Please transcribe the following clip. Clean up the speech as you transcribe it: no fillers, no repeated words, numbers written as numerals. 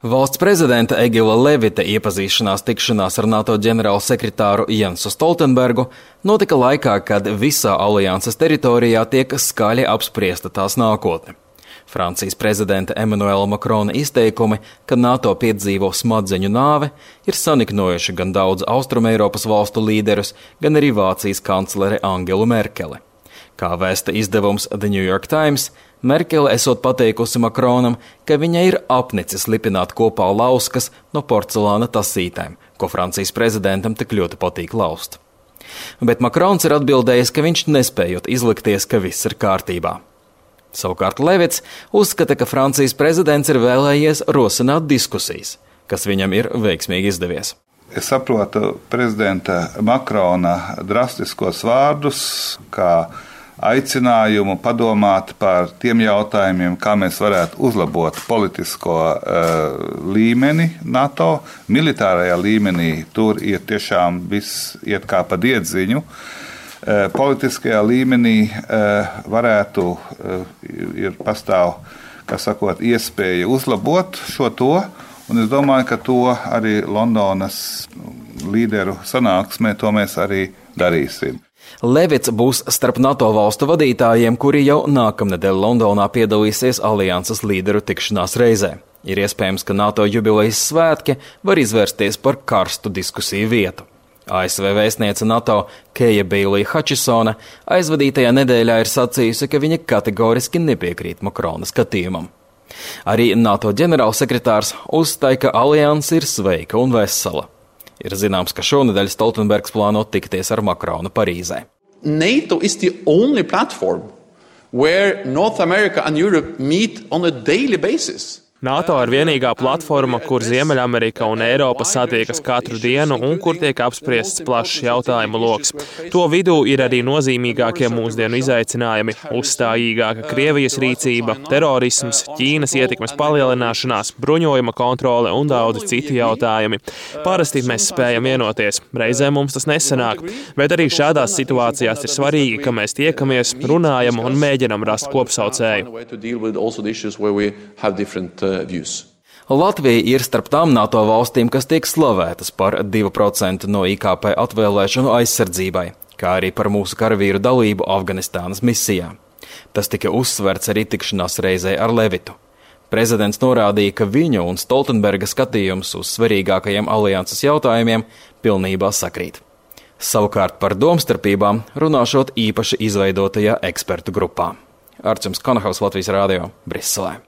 Valsts prezidenta Egila Levita iepazīšanās tikšanās ar NATO ģenerālu sekretāru Jensu Stoltenbergu notika laikā, kad visā alianses teritorijā tiek skaļi apspriesta tās nākotne. Francijas prezidenta Emmanuela Macrona izteikumi, ka NATO piedzīvo smadzeņu nāve, ir saniknojuši gan daudz Austrumeiropas valstu līderus, gan arī Vācijas kanclere Angelu Merkeli. Kā vēsta izdevums The New York Times, Merkele esot pateikusi Macronam, ka viņai ir apnicis lipināt kopā lauskas no porcelāna tasītēm, ko Francijas prezidentam tik ļoti patīk laust. Bet Macrons ir atbildējis, ka viņš nespējot izlikties, ka viss ir kārtībā. Savukārt Levits uzskata, ka Francijas prezidents ir vēlējies rosināt diskusijas, kas viņam ir veiksmīgi izdevies. Es saprotu prezidenta Macrona drastiskos vārdus, kā aicinājumu padomāt par tiem jautājumiem, kā mēs varētu uzlabot politisko līmeni NATO. Militārajā līmenī tur ir tiešām viss iet kā pa diedziņu. Politiskajā līmenī pastāv, kā sakot, iespēja uzlabot to, un es domāju, ka to arī Londonas līderu sanāksmē to mēs arī darīsim. Levits būs starp NATO valstu vadītājiem, kuri jau nākamnedēļ Londonā piedalīsies alianses līderu tikšanās reizē. Ir iespējams, ka NATO jubilejas svētki var izvērsties par karstu diskusiju vietu. ASV vēstniece NATO Keija Beilija Hutchisona aizvadītajā nedēļā ir sacījusi, ka viņa kategoriski nepiekrīt Macrona skatījumam. Arī NATO ģenerālsekretārs uzstāja, ka alianse ir sveika un vesela. Ir zināms, ka šonedēļ Stoltenbergs plāno tikties ar Macronu Parīzē. NATO is the only platform where North America and Europe meet on a daily basis. NATO ir vienīgā platforma, kur Ziemeļamerika un Eiropa satiekas katru dienu un kur tiek apspriests plašs jautājumu loks. To vidū ir arī nozīmīgākie mūsdienu izaicinājumi – uzstājīgāka Krievijas rīcība, terorisms, Ķīnas ietekmes palielināšanās, bruņojuma kontrole un daudzi citi jautājumi. Parasti mēs spējam vienoties, reizē mums tas nesanāk, bet arī šādās situācijās ir svarīgi, ka mēs tiekamies, runājam un mēģinam rast kopsaucēju. Latvija ir starp tām NATO valstīm, kas tiek slavētas par 2% no IKP atvēlēšanu aizsardzībai, kā arī par mūsu karavīru dalību Afganistānas misijā. Tas tika uzsverts arī tikšanās reizē ar Levitu. Prezidents norādīja, ka viņa un Stoltenberga skatījums uz svarīgākajiem alianses jautājumiem pilnībā sakrīt. Savukārt par domstarpībām runāšot īpaši izveidotajā ekspertu grupā. Arčuns Konahaus, Latvijas Rādio, Briselē.